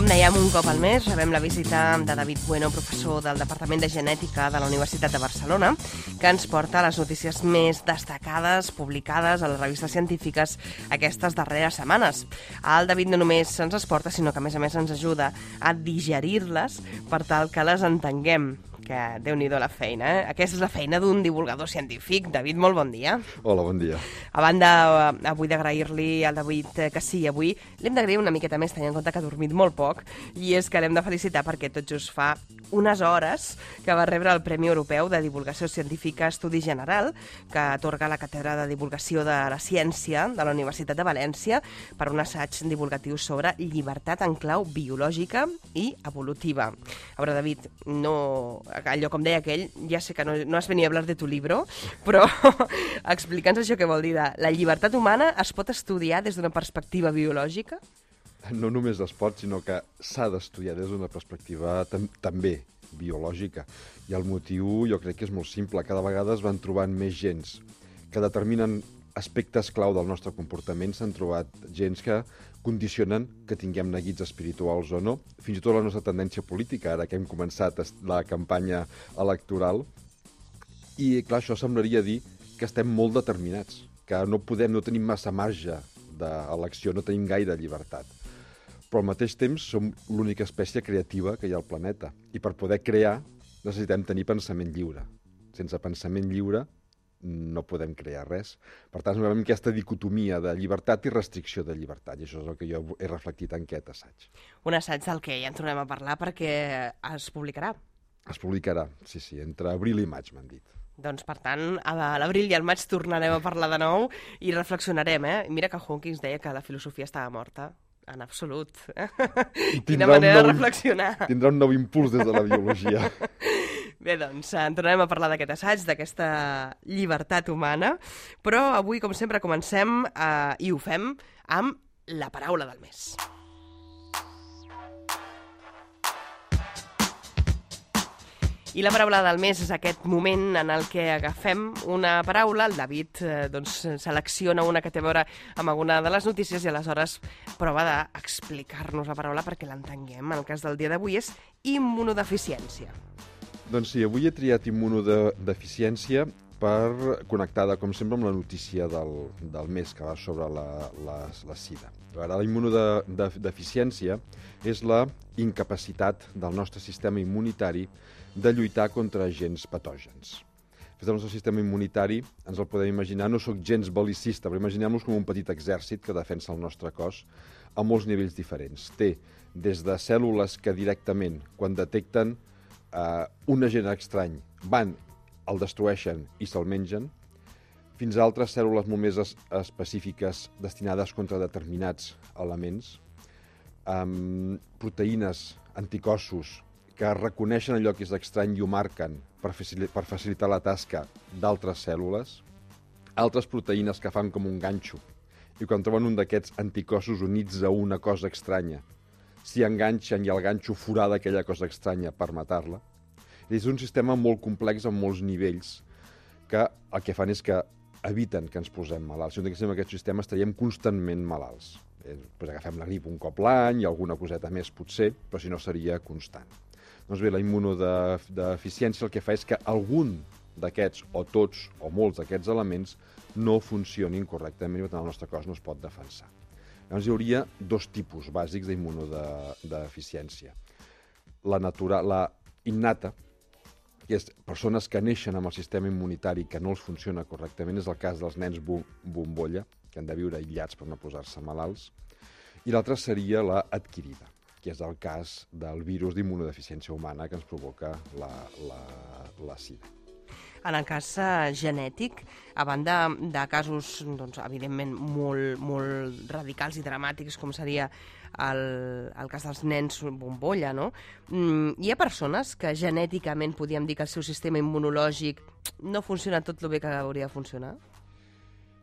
com dèiem, un cop al mes rebem la visita de David Bueno, professor del Departament de Genètica de la Universitat de Barcelona, que ens porta les notícies més destacades publicades a les revistes científiques aquestes darreres setmanes. El David no només ens les porta, sinó que a més ens ajuda a digerir-les per tal que les entenguem. Que Déu-n'hi-do la feina, eh? Aquesta és la feina d'un divulgador científic. David, molt bon dia. Hola, bon dia. A banda, avui d'agrair-li al David que sí, avui l'hem d'agrair una miqueta més, tenint en compte que ha dormit molt poc, i és que l'hem de felicitar perquè tot just fa unes hores que va rebre el Premi Europeu de Divulgació Científica Estudi General, que atorga la Càtedra de Divulgació de la Ciència de la Universitat de València per un assaig divulgatiu sobre llibertat en clau biològica i evolutiva. A veure, David, allò com deia aquell, ja sé que no has venido a hablar de tu libro, però explica'ns això què vol dir. La llibertat humana es pot estudiar des d'una perspectiva biològica? No només es pot, sinó que s'ha d'estudiar des d'una perspectiva també biològica. I el motiu jo crec que és molt simple. Cada vegada es van trobant més gens que determinen aspectes clau del nostre comportament. S'han trobat gens que condicionen que tinguem neguits espirituals o no. Fins i tot la nostra tendència política, ara que hem començat la campanya electoral. I, clar, això semblaria dir que estem molt determinats, que no tenim massa marge d'elecció, no tenim gaire llibertat. Però al mateix temps som l'única espècie creativa que hi ha al planeta. I per poder crear necessitem tenir pensament lliure. Sense pensament lliure no podem crear res. Per tant, veiem aquesta dicotomia de llibertat i restricció de llibertat. I això és el que jo he reflectit en aquest assaig. Un assaig del que ja en tornem a parlar perquè es publicarà. Es publicarà, sí, entre abril i maig, m'han dit. Doncs, per tant, a l'abril i al maig tornarem a parlar de nou i reflexionarem, eh? Mira que Hawking deia que la filosofia estava morta. En absolut. Quina manera de reflexionar. Tindrà un nou impuls des de la biologia. Bé, doncs, en tornarem a parlar d'aquest assaig, d'aquesta llibertat humana, però avui, com sempre, comencem i ho fem amb la paraula del mes. I la paraula del mes és aquest moment en el que agafem una paraula, el David selecciona una que té a veure amb alguna de les notícies i aleshores prova d'explicar-nos la paraula perquè l'entenguem. El cas del dia d'avui és immunodeficiència. Doncs sí, avui he triat immunodeficiència per connectada, com sempre, amb la notícia del mes que va sobre la sida. Ara, la immunodeficiència és la incapacitat del nostre sistema immunitari de lluitar contra agents patògens. Des del nostre sistema immunitari ens el podem imaginar, no sóc gens bel·licista, però imaginem-nos com un petit exèrcit que defensa el nostre cos a molts nivells diferents. Té des de cèl·lules que directament, quan detecten un agent estrany, van, el destrueixen i se'l mengen, fins a altres cèl·lules molt més específiques destinades contra determinats elements, proteïnes, anticossos, que reconeixen allò que és estrany i ho marquen per facilitar la tasca d'altres cèl·lules, altres proteïnes que fan com un ganxo, i quan troben un d'aquests anticossos units a una cosa estranya, s'hi enganxen i el ganxo forada aquella cosa estranya per matar-la. És un sistema molt complex amb molts nivells que el que fan és que eviten que ens posem malalts. Si no tinguéssim aquest sistema estaríem constantment malalts. Agafem la grip un cop l'any i alguna coseta més potser, però si no seria constant. Doncs bé, la immunodeficiència el que fa és que algun d'aquests, o tots, o molts d'aquests elements no funcionin correctament i per tant el nostre cos no es pot defensar. Llavors hi hauria dos tipus bàsics d'immunodeficiència. La innata, que és persones que neixen amb el sistema immunitari que no els funciona correctament, és el cas dels nens bombolla, que han de viure aïllats per no posar-se malalts, i l'altra seria la adquirida, que és el cas del virus d'immunodeficiència humana que ens provoca la sida. En el cas genètic, a banda de casos, evidentment, molt radicals i dramàtics, com seria el cas dels nens bombolla, no? Hi ha persones que genèticament podríem dir que el seu sistema immunològic no funciona tot el bé que hauria de funcionar?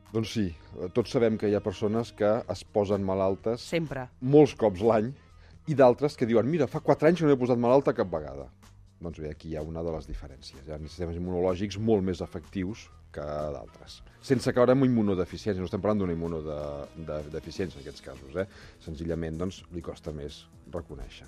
Doncs sí, tots sabem que hi ha persones que es posen malaltes sempre, molts cops l'any, i d'altres que diuen, mira, fa 4 anys que no he posat malalta cap vegada. Doncs bé, aquí hi ha una de les diferències. Hi ha sistemes immunològics molt més efectius que d'altres. Sense caure en immunodeficiència, no estem parlant d'una immunodeficiència en aquests casos, Senzillament, doncs, li costa més reconèixer.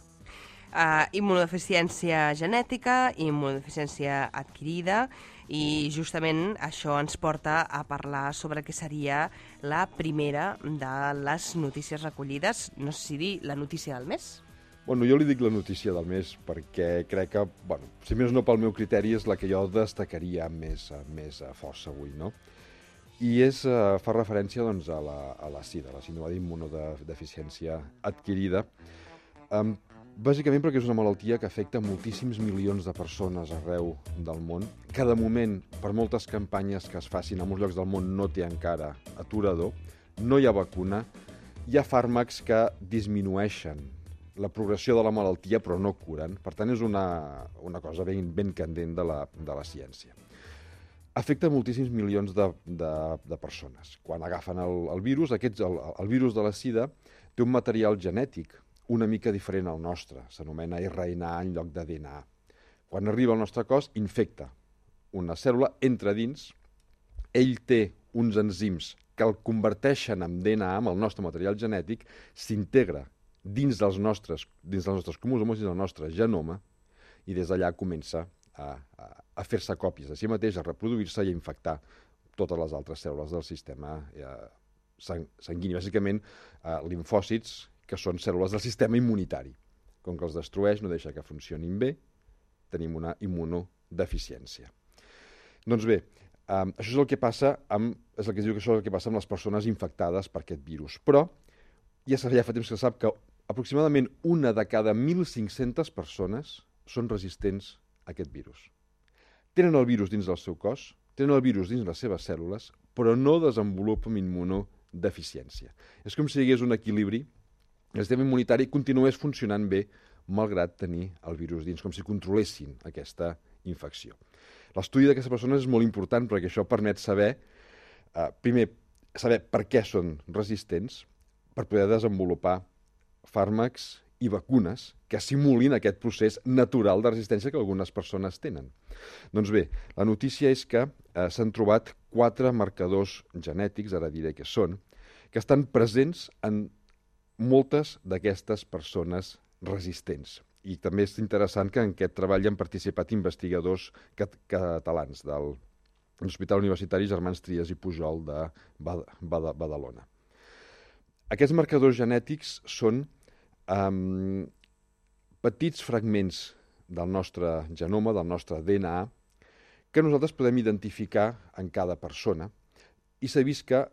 Immunodeficiència genètica, immunodeficiència adquirida, i justament això ens porta a parlar sobre què seria la primera de les notícies recollides. No sé si dir la notícia del mes. Bueno, jo li dic la notícia del mes perquè crec que, bueno, si més no pel meu criteri, és la que jo destacaria més a força avui, no? I fa referència doncs, a la SIDA, la síndrome d'immunodeficiència adquirida, bàsicament perquè és una malaltia que afecta moltíssims milions de persones arreu del món, que de moment, per moltes campanyes que es facin en molts llocs del món, no té encara aturador, no hi ha vacuna, hi ha fàrmacs que disminueixen la progressió de la malaltia però no curen. Per tant, és una cosa ben candent de la ciència. Afecta moltíssims milions de persones. Quan agafen el virus, el virus de la SIDA té un material genètic una mica diferent al nostre, s'anomena RNA en lloc de DNA. Quan arriba al nostre cos, infecta una cèl·lula, entra dins, ell té uns enzims que el converteixen en DNA, amb el nostre material genètic, s'integra dins dels nostres cromosomes, dins del nostre genoma, i des d'allà comença a fer-se còpies de si mateix, a reproduir-se i a infectar totes les altres cèl·lules del sistema sanguini. Bàsicament, limfòcits, que són cèl·lules del sistema immunitari. Com que els destrueix, no deixa que funcionin bé, tenim una immunodeficiència. Doncs bé, això és el que passa és el que es diu que això és el que passa amb les persones infectades per aquest virus. Però ja fa temps que se sap que aproximadament una de cada 1.500 persones són resistents a aquest virus. Tenen el virus dins del seu cos, tenen el virus dins les seves cèl·lules, però no desenvolupen immunodeficiència. És com si hi hagués un equilibri, el sistema immunitari continués funcionant bé malgrat tenir el virus dins, com si controlessin aquesta infecció. L'estudi d'aquestes persones és molt important perquè això permet saber, primer, saber per què són resistents, per poder desenvolupar fàrmacs i vacunes que simulin aquest procés natural de resistència que algunes persones tenen. Doncs bé, la notícia és que s'han trobat 4 marcadors genètics, ara diré què són, que estan presents en moltes d'aquestes persones resistents. I també és interessant que en aquest treball hi han participat investigadors catalans de l'Hospital Universitari Germans Trias i Pujol de Badalona. Aquests marcadors genètics són petits fragments del nostre genoma, del nostre DNA, que nosaltres podem identificar en cada persona, i s'ha vist que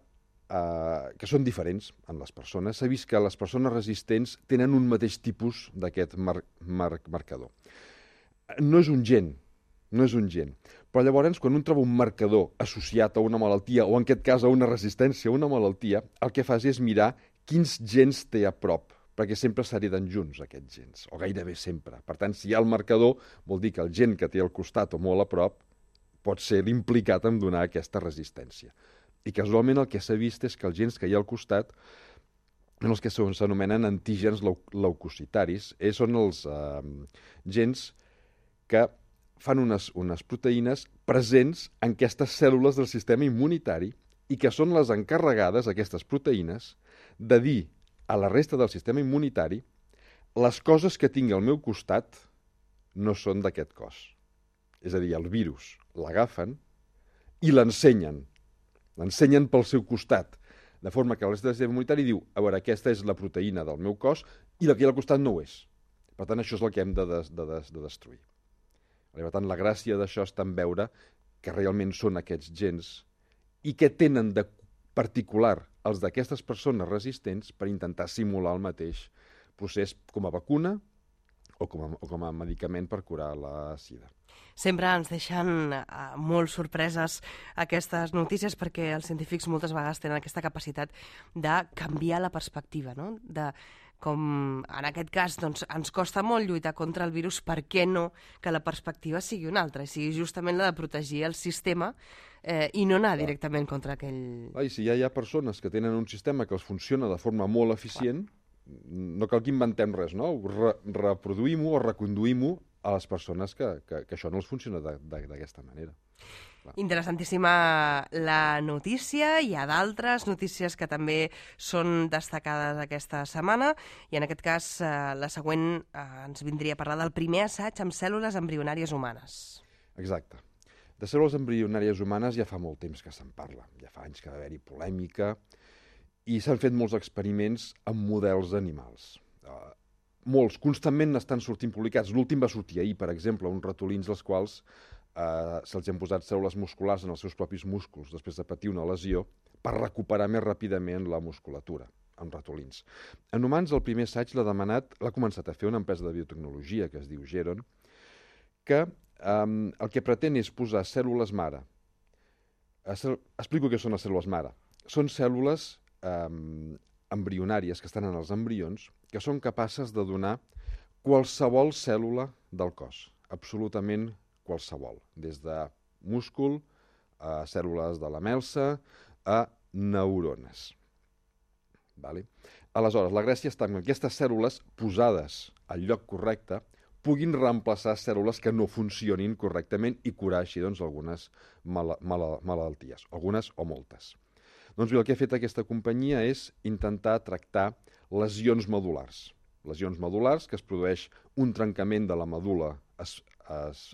són diferents en les persones. S'ha vist que les persones resistents tenen un mateix tipus d'aquest marcador. No és un gen, però llavors quan un troba un marcador associat a una malaltia, o en aquest cas a una resistència a una malaltia, el que fas és mirar quins gens té a prop, perquè sempre s'hereden junts aquests gens, o gairebé sempre. Per tant, si hi ha el marcador, vol dir que el gen que té al costat o molt a prop pot ser l'implicat en donar aquesta resistència. I casualment el que s'ha vist és que els gens que hi ha al costat són els que s'anomenen antígens leucocitaris, són els gens que fan unes proteïnes presents en aquestes cèl·lules del sistema immunitari i que són les encarregades, aquestes proteïnes, de dir a la resta del sistema immunitari les coses que tingui al meu costat no són d'aquest cos. És a dir, el virus l'agafen i l'ensenyen pel seu costat, de forma que el resta del sistema immunitari diu, a veure, aquesta és la proteïna del meu cos i la que hi ha al costat no ho és. Per tant, això és el que hem de destruir. Per tant, la gràcia d'això està en veure que realment són aquests gens i què tenen de particular els d'aquestes persones resistents per intentar simular el mateix procés com a vacuna o com a medicament per curar la SIDA. Sempre ens deixen molt sorpreses aquestes notícies perquè els científics moltes vegades tenen aquesta capacitat de canviar la perspectiva, no? Com en aquest cas doncs, ens costa molt lluitar contra el virus, per què no que la perspectiva sigui una altra, i sigui justament la de protegir el sistema i no anar directament contra aquell... I si ja hi ha persones que tenen un sistema que els funciona de forma molt eficient, no cal que inventem res, no? Reproduïm-ho o reconduïm-ho a les persones que això no els funciona d'aquesta manera. Interessantíssima la notícia. Hi ha d'altres notícies que també són destacades aquesta setmana i en aquest cas la següent ens vindria a parlar del primer assaig amb cèl·lules embrionàries humanes. Exacte. De cèl·lules embrionàries humanes ja fa molt temps que se'n parla. Ja fa anys que va haver-hi polèmica i s'han fet molts experiments amb models animals. Molts, constantment n'estan sortint publicats. L'últim va sortir ahir, per exemple, uns ratolins als quals se'ls han posat cèl·lules musculars en els seus propis músculs després de patir una lesió per recuperar més ràpidament la musculatura en ratolins. En humans, el primer assaig l'ha començat a fer una empresa de biotecnologia que es diu Geron, que el que pretén és posar cèl·lules mare. Explico què són les cèl·lules mare. Són cèl·lules embrionàries que estan en els embrions que són capaces de donar qualsevol cèl·lula del cos, absolutament qualsevol, des de múscul a cèl·lules de la melsa a neurones. Aleshores, la gràcia està en que aquestes cèl·lules posades al lloc correcte puguin reemplaçar cèl·lules que no funcionin correctament i curar així algunes malalties, algunes o moltes. Doncs bé, el que ha fet aquesta companyia és intentar tractar lesions medul·lars. Lesions medul·lars que es produeix un trencament de la medul·la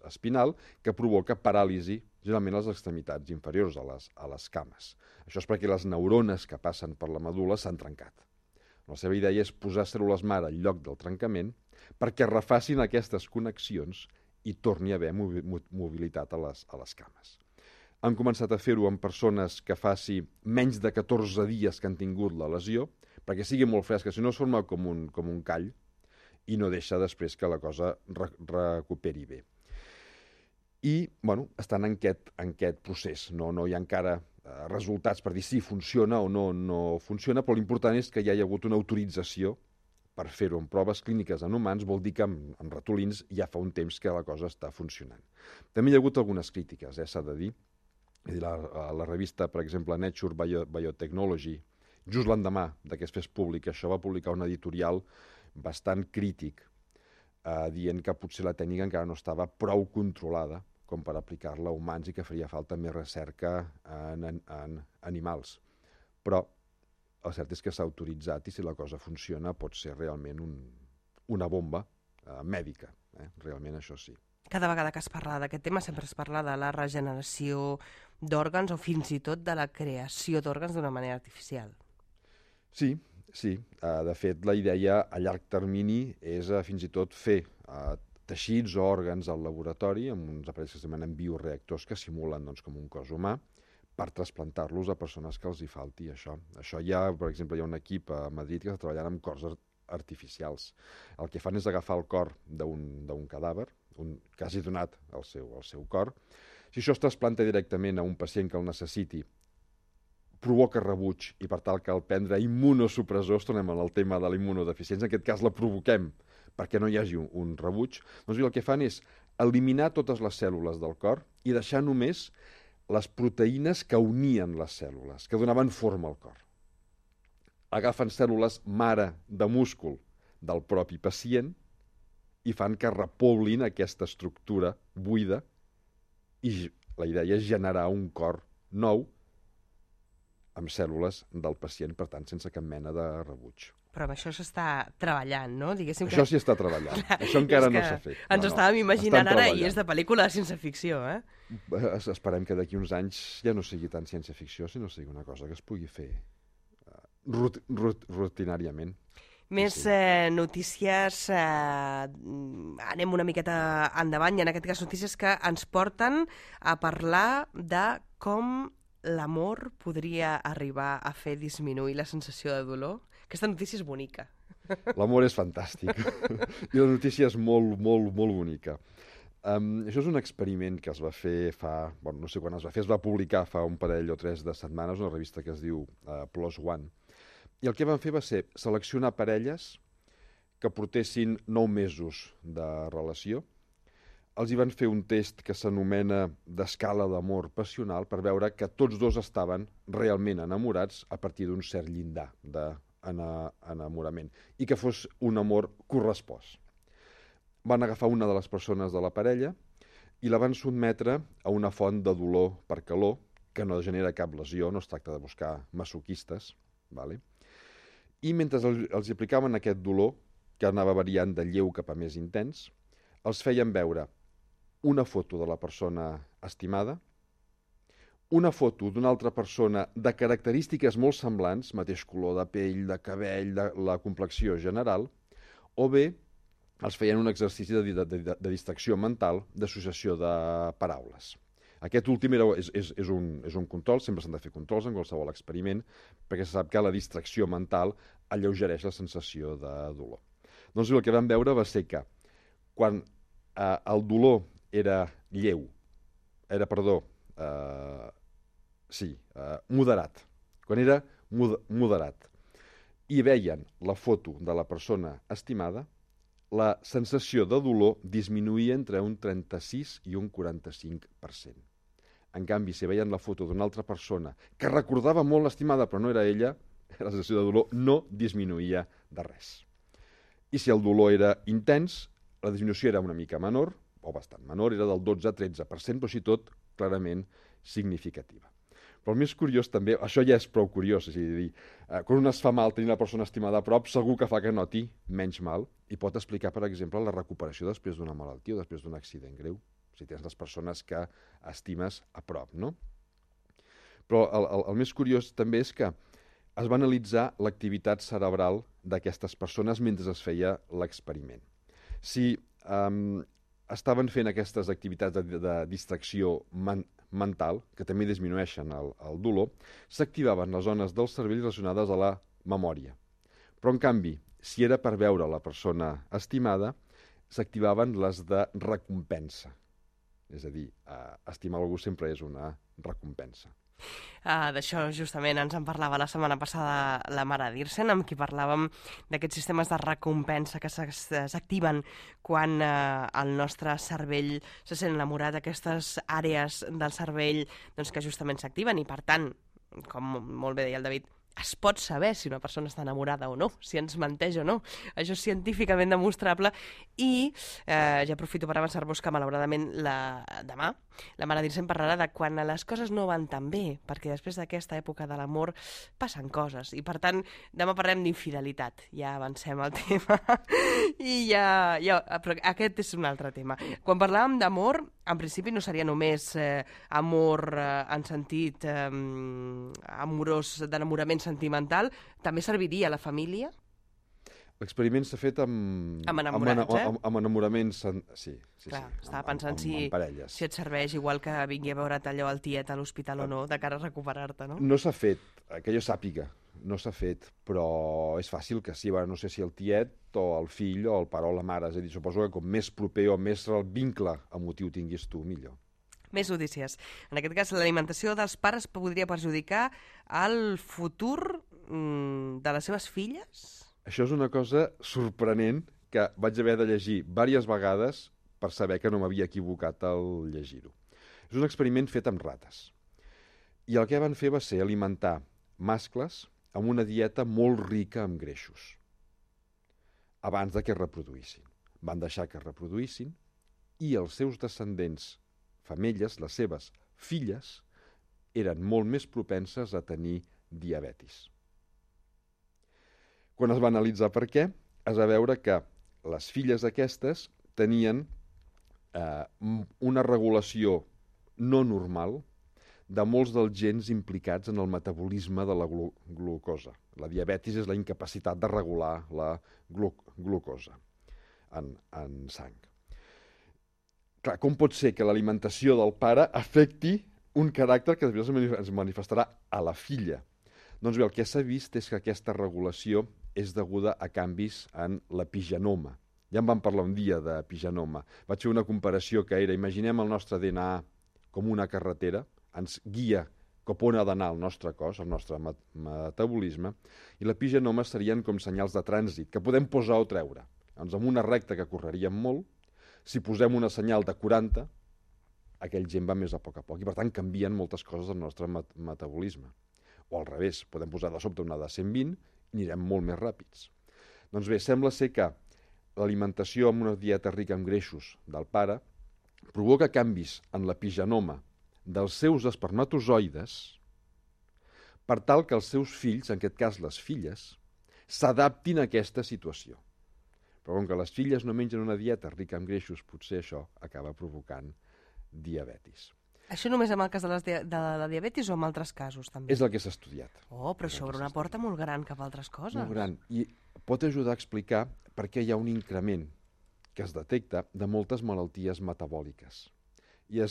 espinal que provoca paràlisi, generalment a les extremitats inferiors, a les cames. Això és perquè les neurones que passen per la medul·la s'han trencat. La seva idea és posar cèl·lules mare al lloc del trencament perquè refacin aquestes connexions i torni a haver mobilitat a les cames. Han començat a fer-ho en persones que faci menys de 14 dies que han tingut la lesió, perquè sigui molt fresca, si no es forma com un call i no deixa després que la cosa recuperi bé. I, estan en aquest procés. No hi ha encara resultats per dir si funciona o no funciona, però l'important és que hi hagi hagut una autorització per fer-ho en proves clíniques en humans, vol dir que en ratolins ja fa un temps que la cosa està funcionant. També hi ha hagut algunes crítiques, s'ha de dir. La revista, per exemple, Nature Biotechnology, just l'endemà que es fes públic, això va publicar un editorial bastant crític, dient que potser la tècnica encara no estava prou controlada com per aplicar-la a humans i que faria falta més recerca en animals. Però el cert és que s'ha autoritzat i si la cosa funciona pot ser realment una bomba mèdica. Realment això sí. Cada vegada que es parla d'aquest tema sempre es parla de la regeneració d'òrgans o fins i tot de la creació d'òrgans d'una manera artificial. Sí. De fet, la idea a llarg termini és fins i tot fer teixits o òrgans al laboratori amb uns aparells que es demanen bioreactors que simulen com un cos humà per trasplantar-los a persones que els hi falti això. Això per exemple, hi ha un equip a Madrid que està treballant amb cors artificials. El que fan és agafar el cor d'un cadàver, que hagi donat el seu cor. Si això es trasplanta directament a un pacient que el necessiti, provoca rebuig i per tal que al prendre immunosupressors, tornem al tema de la immunodeficiència, en aquest cas la provoquem perquè no hi hagi un rebuig, doncs el que fan és eliminar totes les cèl·lules del cor i deixar només les proteïnes que unien les cèl·lules, que donaven forma al cor. Agafen cèl·lules mare de múscul del propi pacient i fan que repoblin aquesta estructura buida i la idea és generar un cor nou amb cèl·lules del pacient, per tant, sense cap mena de rebuig. Però amb això s'està treballant, no? Diguéssim que... Això s'hi està treballant. Això encara no s'ha fet. Ens estàvem imaginant ara i és de pel·lícula de ciència-ficció, Esperem que d'aquí uns anys ja no sigui tant ciència-ficció, sinó sigui una cosa que es pugui fer rutinàriament. Més notícies, anem una miqueta endavant, i en aquest cas notícies que ens porten a parlar de com l'amor podria arribar a fer disminuir la sensació de dolor. Aquesta notícia és bonica. L'amor és fantàstic. I la notícia és molt, molt, molt bonica. Això és un experiment que es va fer no sé quan es va fer, es va publicar fa un parell o 3 de setmanes, una revista que es diu PLOS ONE. I el que van fer va ser seleccionar parelles que portessin 9 mesos de relació. Els hi van fer un test que s'anomena d'escala d'amor passional per veure que tots dos estaven realment enamorats a partir d'un cert llindar d'enamorament i que fos un amor correspost. Van agafar una de les persones de la parella i la van sotmetre a una font de dolor per calor, que no genera cap lesió, no es tracta de buscar masoquistes, vale? I mentre els aplicaven aquest dolor, que anava variant de lleu cap a més intens, els feien veure una foto de la persona estimada, una foto d'una altra persona de característiques molt semblants, mateix color de pell, de cabell, de la complexió general, o bé els feien un exercici de distracció mental, d'associació de paraules. Aquest últim és un control, sempre s'han de fer controls en qualsevol experiment, perquè se sap que la distracció mental alleugereix la sensació de dolor. Doncs el que vam veure va ser que quan el dolor era lleu, moderat, quan era moderat, i veien la foto de la persona estimada, la sensació de dolor disminuïa entre un 36 i un 45%. En canvi, si veien la foto d'una altra persona que recordava molt l'estimada però no era ella, la sensació de dolor no disminuïa de res. I si el dolor era intens, la disminució era una mica menor, o bastant menor, era del 12-13%, però així tot clarament significativa. Però el més curiós també, això ja és prou curiós, és a dir, quan un es fa mal tenir la persona estimada a prop, segur que fa que noti menys mal i pot explicar, per exemple, la recuperació després d'una malaltia o després d'un accident greu, si tens les persones que estimes a prop, no? Però el més curiós també és que es va analitzar l'activitat cerebral d'aquestes persones mentre es feia l'experiment. Si estaven fent aquestes activitats de distracció mental, que també disminueixen el dolor, s'activaven les zones del cervell relacionades a la memòria. Però, en canvi, si era per veure la persona estimada, s'activaven les de recompensa. És a dir, estimar algú sempre és una recompensa. D'això justament ens en parlava la setmana passada la Mara Dirsen, amb qui parlàvem d'aquests sistemes de recompensa que s'activen quan el nostre cervell se sent enamorat, aquestes àrees del cervell doncs, que justament s'activen i, per tant, com molt bé deia el David, es pot saber si una persona està enamorada o no, si ens menteix o no. Això és científicament demostrable i ja aprofito per avançar-vos que malauradament demà la Mara Dirsen parlarà de quan les coses no van tan bé, perquè després d'aquesta època de l'amor passen coses i per tant demà parlem d'infidelitat, ja avancem al tema i però aquest és un altre tema. Quan parlàvem d'amor, en principi no seria només amor en sentit amorós, d'enamorament sentimental, també serviria a la família? L'experiment s'ha fet amb enamoraments... Sí. Clar, estava pensant si et serveix igual que vingui a veure't allò al tiet a l'hospital o no, de cara a recuperar-te, no? No s'ha fet, que jo sàpiga, no s'ha fet, però és fàcil que sí, no sé si el tiet o el fill o el pare o la mare, és a dir, suposo que com més proper o més el vincle emotiu tinguis tu, millor. Més notícies. En aquest cas, l'alimentació dels pares podria perjudicar el futur de les seves filles? Això és una cosa sorprenent que vaig haver de llegir diverses vegades per saber que no m'havia equivocat al llegir-ho. És un experiment fet amb rates. I el que van fer va ser alimentar mascles amb una dieta molt rica en greixos abans de que es reproduïssin. Van deixar que es reproduïssin i els seus descendents, femelles, les seves filles, eren molt més propenses a tenir diabetis. Quan es va analitzar per què, es va veure que les filles aquestes tenien una regulació no normal de molts dels gens implicats en el metabolisme de la glucosa. La diabetis és la incapacitat de regular la glucosa en sang. Clar, com pot ser que l'alimentació del pare afecti un caràcter que després es manifestarà a la filla? Doncs bé, el que s'ha vist és que aquesta regulació és deguda a canvis en l'epigenoma. Ja en vam parlar un dia d'epigenoma. Vaig fer una comparació que era, imaginem el nostre DNA com una carretera, ens guia cap on ha d'anar el nostre cos, el nostre metabolisme, i l'epigenoma serien com senyals de trànsit, que podem posar o treure. Doncs amb una recta que correríem molt, si posem una senyal de 40, aquell gent va més a poc, i per tant canvien moltes coses del nostre metabolisme. O al revés, podem posar de sobte una de 120 i anirem molt més ràpids. Doncs bé, sembla ser que l'alimentació amb una dieta rica en greixos del pare provoca canvis en l'epigenoma dels seus espermatozoides per tal que els seus fills, en aquest cas les filles, s'adaptin a aquesta situació. Però com que les filles no mengen una dieta rica en greixos, potser això acaba provocant diabetis. Això només en el cas de la diabetis o en altres casos, també? És el que s'ha estudiat. Oh, però això obre una porta molt gran cap a altres coses. Molt gran. I pot ajudar a explicar per què hi ha un increment que es detecta de moltes malalties metabòliques. I a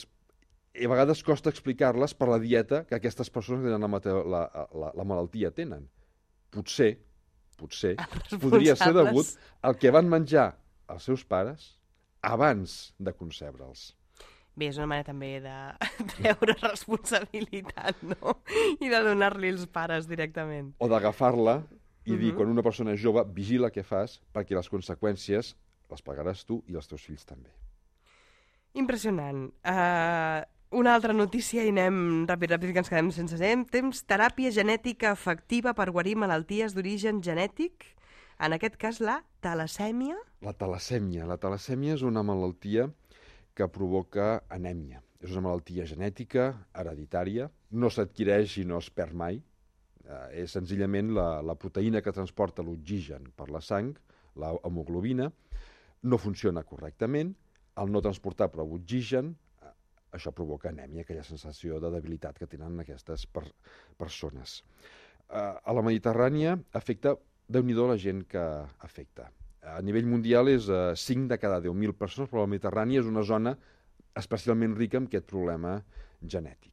vegades costa explicar-les per la dieta que aquestes persones que tenen la malaltia tenen. Potser podria ser degut al que van menjar els seus pares abans de concebre'ls. Bé, és una manera també de treure responsabilitat, no? I de donar-li els pares directament. O d'agafar-la i dir, quan una persona és jove, vigila què fas, perquè les conseqüències les pagaràs tu i els teus fills també. Impressionant. Una altra notícia i anem ràpid, que ens quedem sense temps. Teràpia genètica efectiva per guarir malalties d'origen genètic. En aquest cas, la talassèmia. La talassèmia. La talassèmia és una malaltia que provoca anèmia. És una malaltia genètica, hereditària, no s'adquireix i no es perd mai. És senzillament la proteïna que transporta l'oxigen per la sang, l'hemoglobina, no funciona correctament. Al no transportar prou oxigen, això provoca anèmia, aquella sensació de debilitat que tenen aquestes persones. A la Mediterrània afecta, Déu-n'hi-do la gent que afecta. A nivell mundial és 5 de cada 10.000 persones, però la Mediterrània és una zona especialment rica amb aquest problema genètic.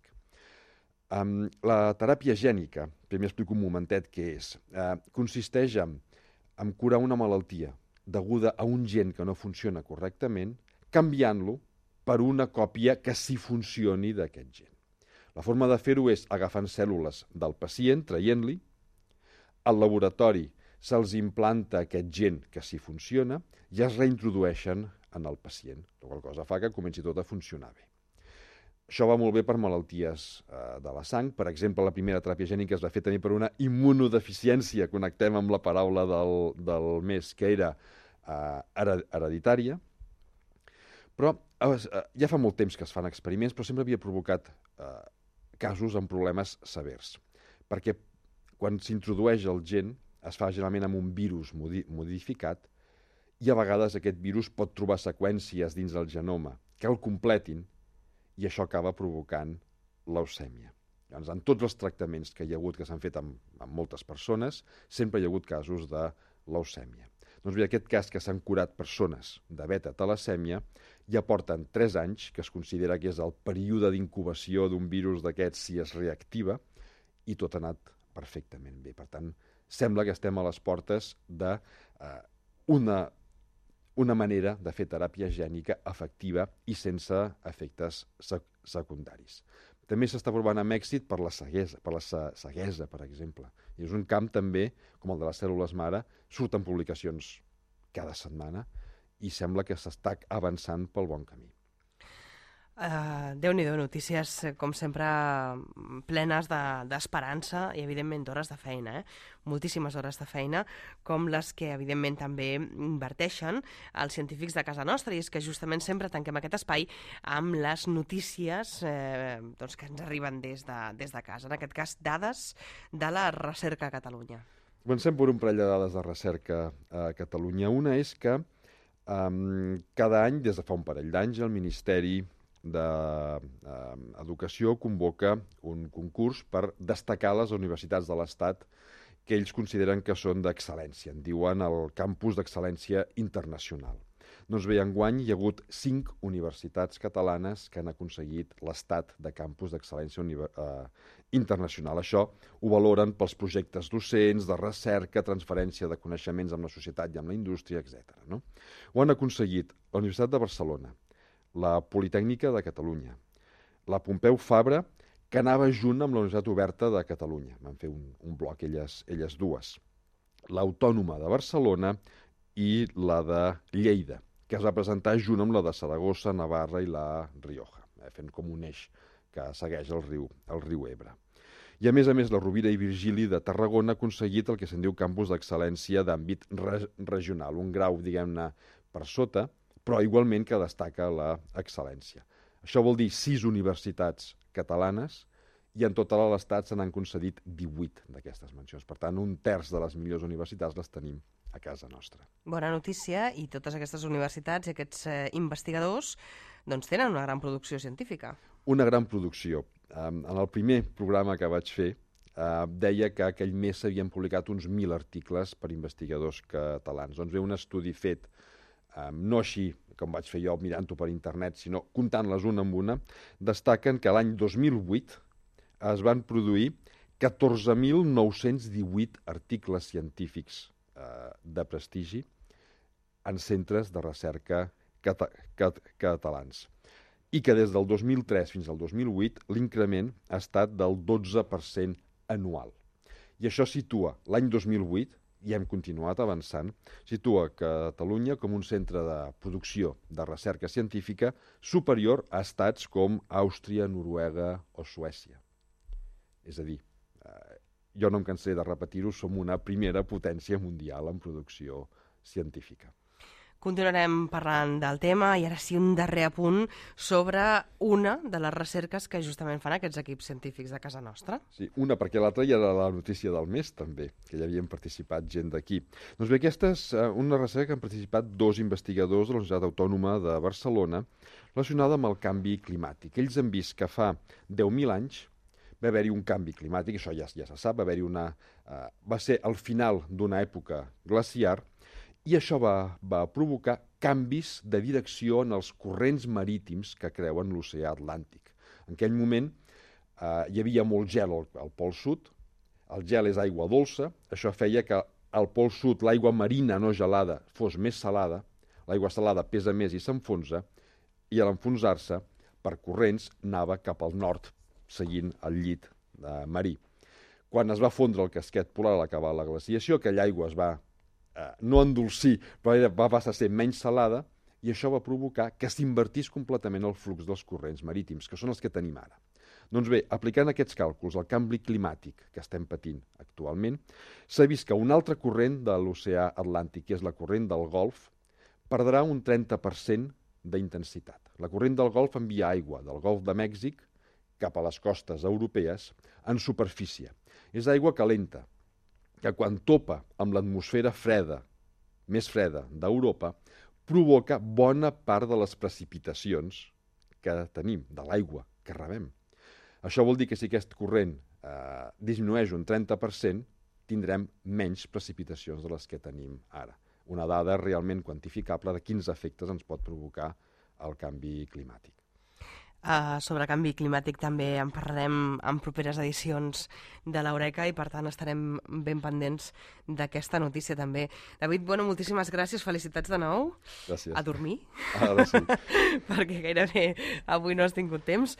La teràpia gènica, primer explico un momentet què és, consisteix en curar una malaltia deguda a un gen que no funciona correctament, canviant-lo per una còpia que sí funcioni d'aquest gen. La forma de fer-ho és agafant cèl·lules del pacient, traient-li, al laboratori se'ls implanta aquest gen que sí funciona i es reintrodueixen en el pacient, la qual cosa fa que comenci tot a funcionar bé. Això va molt bé per malalties de la sang. Per exemple, la primera teràpia gènica es va fer també per una immunodeficiència, connectem amb la paraula del mes, que era hereditària. Però ja fa molt temps que es fan experiments, però sempre havia provocat casos amb problemes severs. Perquè quan s'introdueix el gen, es fa generalment amb un virus modificat i a vegades aquest virus pot trobar seqüències dins del genoma que el completin i això acaba provocant leucèmia. Llavors, en tots els tractaments que hi ha hagut, que s'han fet amb moltes persones, sempre hi ha hagut casos de leucèmia. Doncs bé, aquest cas que s'han curat persones de beta-talassèmia ja porten 3 anys, que es considera que és el període d'incubació d'un virus d'aquests si es reactiva, i tot ha anat perfectament bé. Per tant, sembla que estem a les portes d'una manera de fer teràpia gènica efectiva i sense efectes secundaris. També s'està provant amb èxit per la ceguesa, per exemple. I és un camp també, com el de les cèl·lules mare, surten publicacions cada setmana i sembla que s'està avançant pel bon camí. Déu-n'hi-do, notícies, com sempre, plenes d'esperança i, evidentment, d'hores de feina, moltíssimes hores de feina, com les que, evidentment, també inverteixen els científics de casa nostra, i és que justament sempre tanquem aquest espai amb les notícies que ens arriben des de casa, en aquest cas, dades de la recerca a Catalunya. Comencem per un parell de dades de recerca a Catalunya. Una és que cada any, des de fa un parell d'anys, el Ministeri d'Educació convoca un concurs per destacar les universitats de l'Estat que ells consideren que són d'excel·lència. En diuen el campus d'excel·lència internacional. Doncs bé, enguany hi ha hagut 5 universitats catalanes que han aconseguit l'estat de campus d'excel·lència internacional. Això ho valoren pels projectes docents, de recerca, transferència de coneixements amb la societat i amb la indústria, etc. No? Ho han aconseguit la Universitat de Barcelona, la Politècnica de Catalunya, la Pompeu Fabra, que anava junt amb la Universitat Oberta de Catalunya. Van fer un bloc elles dues. L'Autònoma de Barcelona i la de Lleida, que es va presentar junt amb la de Saragossa, Navarra i la Rioja, fent com un eix que segueix el riu Ebre. I a més, la Rovira i Virgili de Tarragona ha aconseguit el que se'n diu campus d'excel·lència d'àmbit regional, un grau, diguem-ne, per sota, però igualment que destaca la excel·lència. Això vol dir 6 universitats catalanes i en total a l'Estat se n'han concedit 18 d'aquestes mencions. Per tant, un terç de les millors universitats les tenim a casa nostra. Bona notícia, i totes aquestes universitats i aquests investigadors doncs tenen una gran producció científica. Una gran producció. En el primer programa que vaig fer deia que aquell mes s'havien publicat uns 1.000 articles per investigadors catalans. Doncs ve un estudi fet, no així com vaig fer jo mirant-ho per internet, sinó comptant-les una amb una, destaquen que l'any 2008 es van produir 14.918 articles científics de prestigi en centres de recerca catalans. I que des del 2003 fins al 2008 l'increment ha estat del 12% anual. I això situa l'any 2008, i hem continuat avançant, situa Catalunya com un centre de producció de recerca científica superior a estats com Àustria, Noruega o Suècia. És a dir, jo no em cansaré de repetir-ho, som una primera potència mundial en producció científica. Continuarem parlant del tema i ara sí un darrer apunt sobre una de les recerques que justament fan aquests equips científics de casa nostra. Sí, una, perquè l'altra ja era la notícia del mes també, que hi havien participat gent d'aquí. Doncs bé, aquesta és una recerca que han participat 2 investigadors de la Universitat Autònoma de Barcelona relacionada amb el canvi climàtic. Ells han vist que fa 10.000 anys va haver-hi un canvi climàtic, això ja se sap, va ser el final d'una època glaciar, i això va provocar canvis de direcció en els corrents marítims que creuen l'oceà Atlàntic. En aquell moment hi havia molt gel al Pol Sud, el gel és aigua dolça, això feia que al Pol Sud l'aigua marina no gelada fos més salada, l'aigua salada pesa més i s'enfonsa, i a l'enfonsar-se, per corrents, anava cap al nord, seguint el llit marí. Quan es va fondre el casquet polar a l'acabar la glaciació, aquella aigua es va no endolcir, però va passar a ser menys salada, i això va provocar que s'invertís completament el flux dels corrents marítims, que són els que tenim ara. Doncs bé, aplicant aquests càlculs al canvi climàtic que estem patint actualment, s'ha vist que un altre corrent de l'oceà Atlàntic, que és la corrent del Golf, perdrà un 30% d'intensitat. La corrent del Golf envia aigua del Golf de Mèxic cap a les costes europees en superfície. És aigua calenta, que quan topa amb l'atmosfera freda, més freda d'Europa, provoca bona part de les precipitacions que tenim, de l'aigua que rebem. Això vol dir que si aquest corrent disminueix un 30%, tindrem menys precipitacions de les que tenim ara. Una dada realment quantificable de quins efectes ens pot provocar el canvi climàtic. Sobre canvi climàtic també en parlarem en properes edicions de l'Eureka i per tant estarem ben pendents d'aquesta notícia també. David, moltíssimes gràcies, felicitats de nou. Gràcies. A dormir. Ara sí. Perquè gairebé avui no has tingut temps.